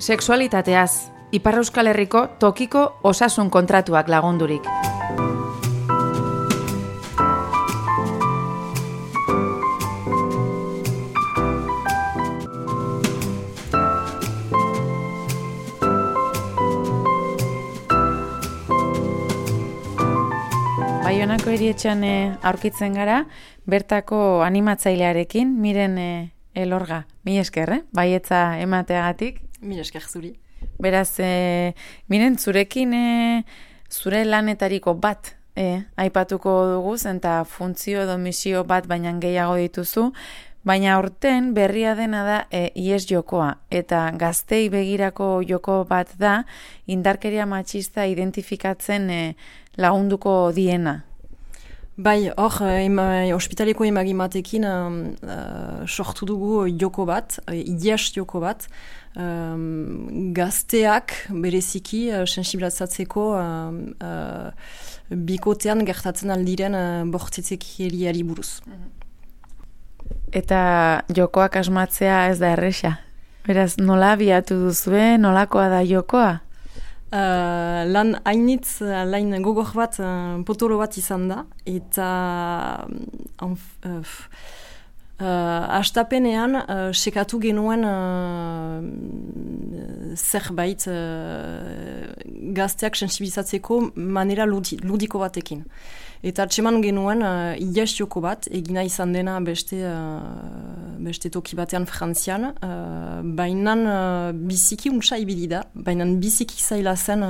Sexualitateaz, Ipar Euskal Herriko tokiko osasun kontratuak lagundurik. Baionako erietxean aurkitzen gara, bertako animatzailearekin, Miren Elorga. Mi esker, baietza emateagatik. Mi esker zuri. Beraz, Miren, zurekin zure lanetariko bat aipatuko dugu, eta funtzio edo misio bat baina gehiago dituzu, baina aurten berria dena da ihes jokoa, eta gaztei begirako joko bat da, indarkeria matxista identifikatzen lagunduko diena. Bai, hor, ospitaleko emagimatekin sortu dugu joko bat, ihes joko bat, gazteak bereziki sensibilizatzeko bikotean gertatzen aldiren bortzitzekeriari buruz. Eta jokoak asmatzea ez da erresa. Beraz, nola abiatu duzue, nolakoa da jokoa? Lan hainitz, lain gogor bat, potolo bat izan da, eta hastapenean sekatu genuen zerbait gazteak sensibilizatzeko manera ludiko batekin. Eta atseman genuen ihes joko bat, egina izan dena beste toki batean Frantzian, bainan biziki untsa ibili da, bainan biziki zaila zen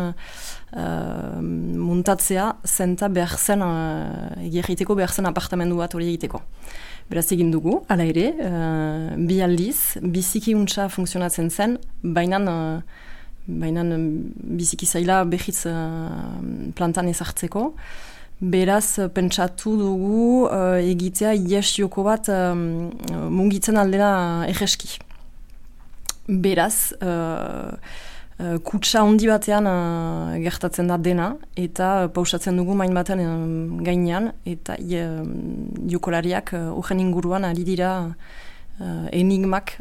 muntatzea, zenta behar zen, egiteko behar zen apartamendu bat hori egiteko. Beraz egin dugu, hala ere, bi aldiz, biziki untsa funtzionatzen zen, bainan biziki zaila behitz plantan ezartzeko. Beraz, pentsatu dugu egitea ihes joko bat mungitzen aldera egeski. Beraz, kutsa handi batean gertatzen da dena, eta pausatzen dugu main batean gainean, eta jokolariak horren inguruan ari dira enigmak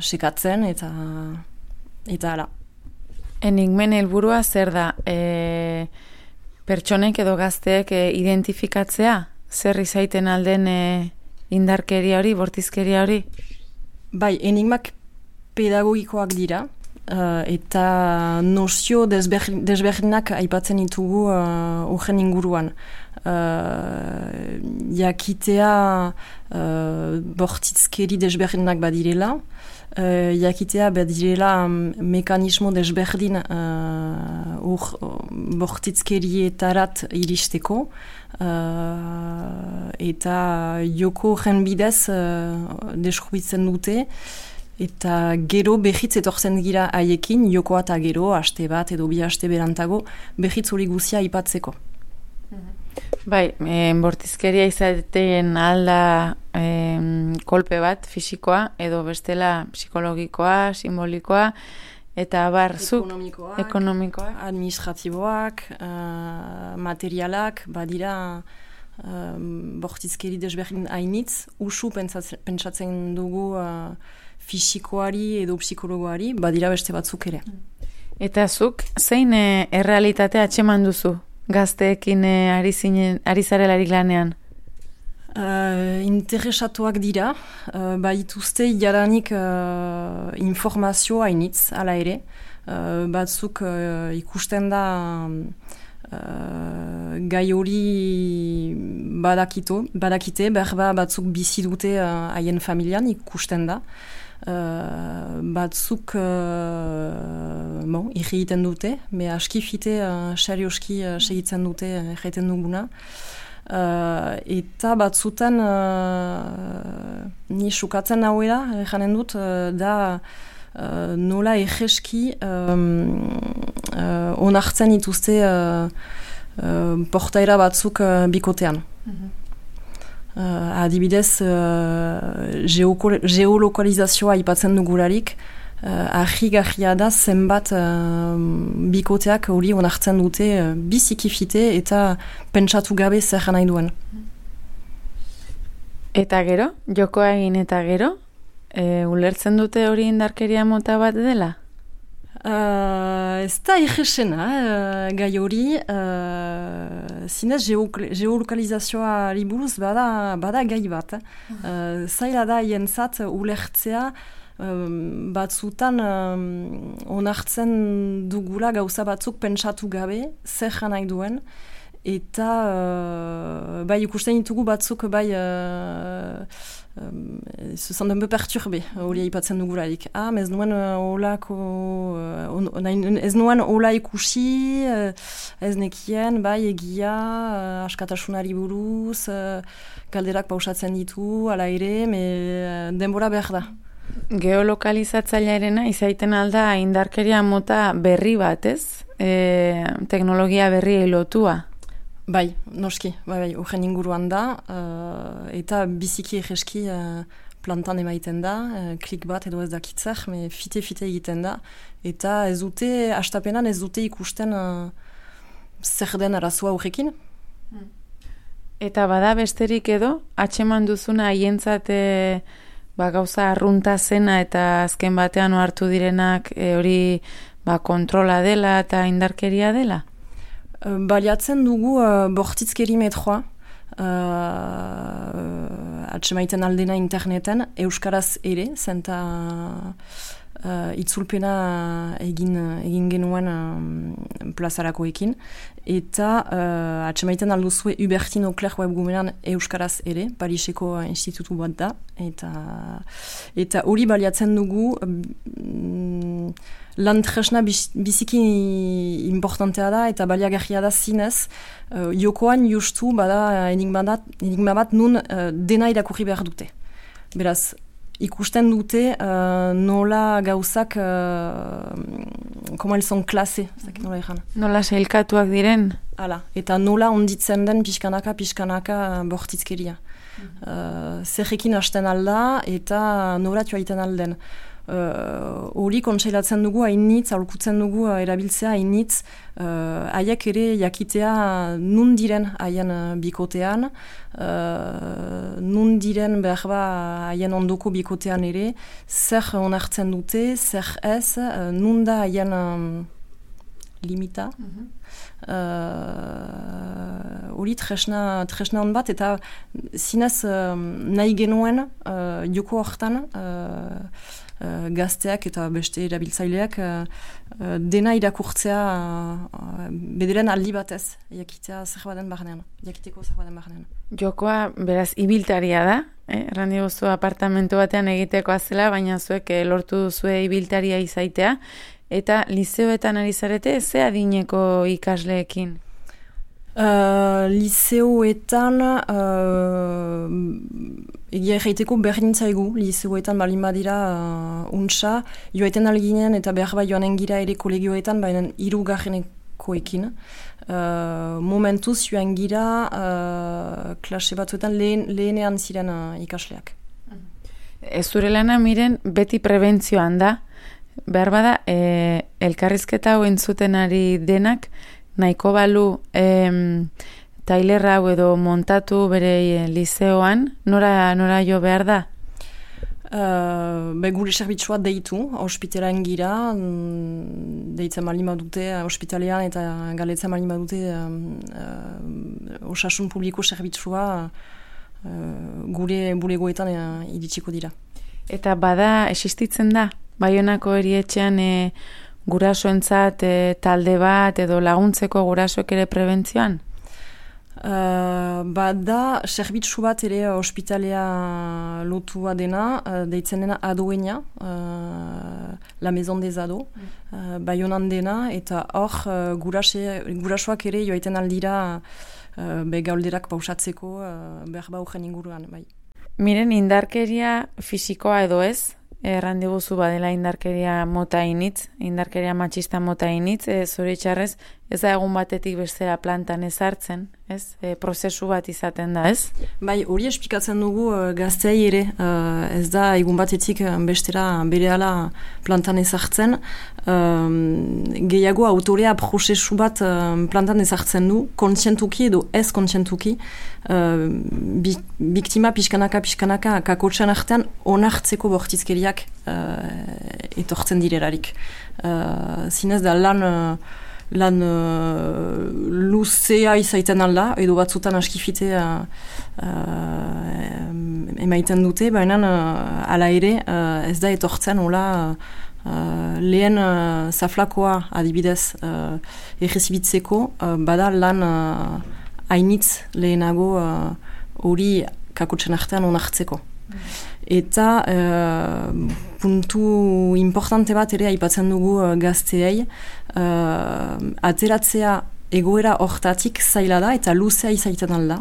sekatzen, eta hala. Enigmen helburua zer da? Pertsonek edo gazteek identifikatzea? Zer izaiten alden indarkeria hori, bortizkeria hori? Bai, enigmak pedagogikoak dira, eta nozio desberdinak aipatzen ditugu horren inguruan. Jakitea bortizkeri desberdinak badirela, jakitea badirela mekanismo desberdin bortizkerietarat iristeko, eta joko jenbidez deskubritzen dute, eta gero behitz etortzen gira haiekin, jokoa eta gero, aste bat edo bi aste berantago, behitz hori guzia aipatzeko. Bai, bortizkeria izateen alda kolpe bat, fisikoa, edo bestela psikologikoa, simbolikoa, eta ekonomikoak, administratiboak, materialak, badira bortizkeri desberdin hainitz, usu pentsatzen dugu fisikoari edo psikologoari, badira beste batzuk ere. Eta zuk, zein errealitatea atxeman duzu? Gazteekin ari zarelarik lanean? Interesatuak dira, baituzte jaranik informazio hainitz, ala ere. Batzuk ikusten da gai hori badakite, berba batzuk bizi dute haien familian ikusten da. Batzuk irriten dute, me aski fite serioski segitzen dute erraiten duguna. Eta batzutan ni sukatzen hauela, janen dut, da nola egeski onartzen dituzte portaera batzuk bikotean. Adibidez, geolokalizazioa aipatzen dugularik, argi-garria da zenbat bikoteak hori onartzen dute bizikifite eta pentsatu gabe zer nahi duen. Eta gero, jokoa egin eta gero, Ulertzen dute hori indarkeria mota bat dela? Ez da egesena, gai hori, zinez geolokalizazioa buruz bada gai bat. Zaila da jentzat ulertzea, batzutan onartzen dugula gauza batzuk pentsatu gabe, zer nahi duen, eta bai ikusten ditugu batzuk bai se sont un peu perturbés, hori aipatzen dugularik. Ez nuen hola ikusi, ez nekien, bai egia, askatasunari buruz, galderak pausatzen ditu, ala ere, denbora behar da. Geolokalizatzailearena izaiten alda indarkeria mota berri bat, ez? Teknologia berriei lotua. Bai, noski, horren inguruan da, eta biziki egeski plantan emaiten da, klik bat edo ez dakitzer, fite egiten da, eta ez dute, hastapenan ez dute ikusten zer den arazoa horrekin. Eta bada besterik edo, atxeman duzuna haientzat gauza arrunta zena eta azken batean ohartu direnak hori kontrola dela eta indarkeria dela? Baliatzen dugu bortitzkeri metroa, atsemaiten aldena interneten, euskaraz ere, zenta itzulpena egin genuen plazarakoekin, eta atsemaiten alduzue Hubertino Kler webgunean euskaraz ere, Pariseko institutu bat da, eta hori baliatzen dugu lan tresna biziki importantea da eta baliagarria da zinez, jokoan justu bada enigma bat nun dena irakurri behar dute. Beraz, ikusten dute nola gauzak, como elles sont classées, nola egan. Nola sailkatuak diren? Hala, eta nola onditzen den pixkanaka bortitzkeria. Zerrekin hasten alda eta nola joaiten alden. Hori kontseilatzen dugu hainitz, aholkutzen dugu erabiltzea hainitz, haiek ere jakitea nun diren haien bikotean, nun diren behar haien ondoko bikotean ere, zer onartzen dute, zer ez, nun da haien limita. Hori tresna hon bat, eta zinez nahi genuen joko hortan, gazteak eta beste erabiltzaileak dena irakurtzea bederen aldi batez, jakiteko zer baden barnean. Jokoa, beraz, ibiltaria da, errandi guzu apartamento batean egitekoa zela, baina zuek lortu duzue ibiltaria izaitea, eta lizeoetan ari zarete, ze adineko ikasleekin? Lizeoetan egia erraiteko berdin zaigu, lizeoetan balin badira untsa, joaiten alginen eta behar bai joanen gira ere kolegioetan, baina 3. Momentuz joan gira klase batzuetan lehenean ziren ikasleak. Ez zure lana miren beti prebentzioan da, behar bada elkarrizketa hau entzuten ari denak, nahiko balu tailer hau edo montatu bere lizeoan, nora jo behar da? Gure serbitzua deitu, ospitalean gira, deitzen malin badute ospitalean eta galetzen malin badute osasun publiko serbitzua gure bulegoetan iritsiko dira. Eta bada existitzen da? Baionako erietxean gurasoentzat talde bat edo laguntzeko gurasoek ere prebentzioan? Bada, serbitzu bat ere ospitalea lotua dena, deitzen dena adoena, la maison des ados, Baionan dena, eta hor gurasoak ere joaiten aldira gaulderak pausatzeko behar horren inguruan. Bai. Miren, indarkeria fisikoa edo ez? Errandiguzu badela indarkeria mota initz, indarkeria matxista mota initz, zoritxarrez ez da egun batetik bestera plantan ezartzen, ez? Prozesu bat izaten da, ez? Bai, hori esplikatzen dugu gazteei ere, ez da egun batetik bestera berehala plantan ezartzen, gehiago autorea prozesu bat plantan ezartzen du, kontzientuki edo ez kontzientuki, biktima pixkanaka kakotxan artean onartzeko bortizkeriak etortzen direlarik. Zinez da lan luzea izaiten alda, edo batzutan askifitea emaiten dute, baina ala ere ez da etortzen hola lehen zaflakoa adibidez errezibitzeko, bada lan hainitz lehenago hori kakotxen artean onartzeko. Eta puntu importante bat ere aipatzen dugu gazteei, ateratzea egoera hortatik zaila da eta luzea izaiten alda.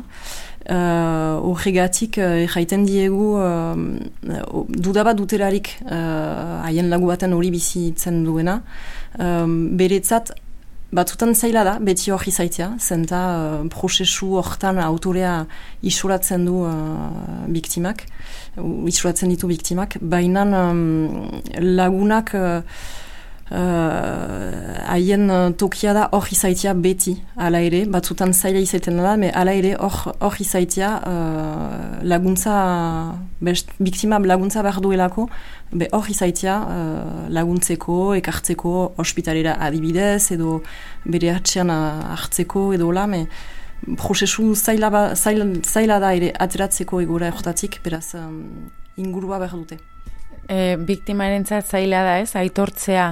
Horregatik jaiten diegu dudabat duterarik haien lagu baten hori bizitzen duena. Beretzat batzutan zaila da, beti hori zaitea, zenta prozesu hortan autorea isolatzen du biktimak, isolatzen ditu biktimak, baina lagunak haien tokia da hor izaitia beti, ala ere, batzutan zaila izaiten da, ala ere hor izaitia laguntza, biktima laguntza behar duelako, hor izaitia laguntzeko, ekartzeko ospitalera adibidez, edo bere atxean hartzeko, edo la, prozesu zaila da ere ateratzeko egora hortatik, beraz ingurua behar dute. Biktimarentzat zaila da ez, aitortzea,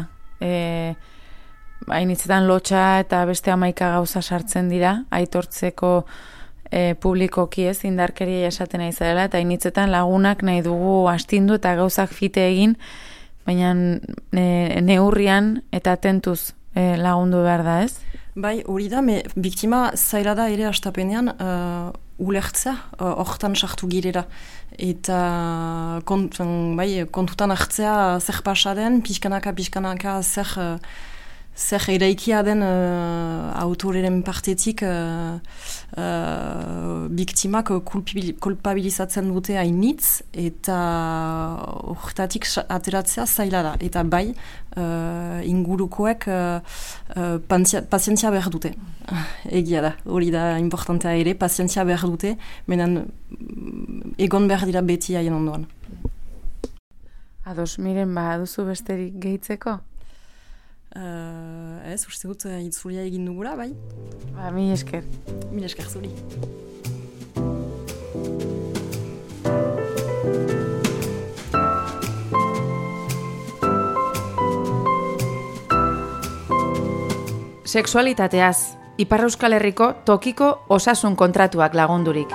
hainitzetan lotxa eta beste 11 gauza sartzen dira, aitortzeko publikoki ez, indarkeria esaten nahi zarela, eta hainitzetan lagunak nahi dugu astindu eta gauzak fite egin, baina neurrian eta tentuz lagundu behar da ez? Bai, hori da, biktima zaila da ere astapenean ulertzea, hortan sartu girera. Eta kontutan hartzea zer pasaren, pixkanaka zer eraikia den autoreren partetik biktimak kulpabilizatzen dute hainitz, eta hortatik ateratzea zaila da. Eta bai, ingurukoek pazientzia behar dute. Egia da, hori da importantea ere, pazientzia behar dute, menen egon behar dira beti haien ondoan. Ados, miren, duzu besterik gehitzeko? Ez, uste dut itzulia egin dugula, bai? Mil esker. Mil esker zuri. Sexualitateaz, Ipar Euskal Herriko tokiko osasun kontratuak lagundurik.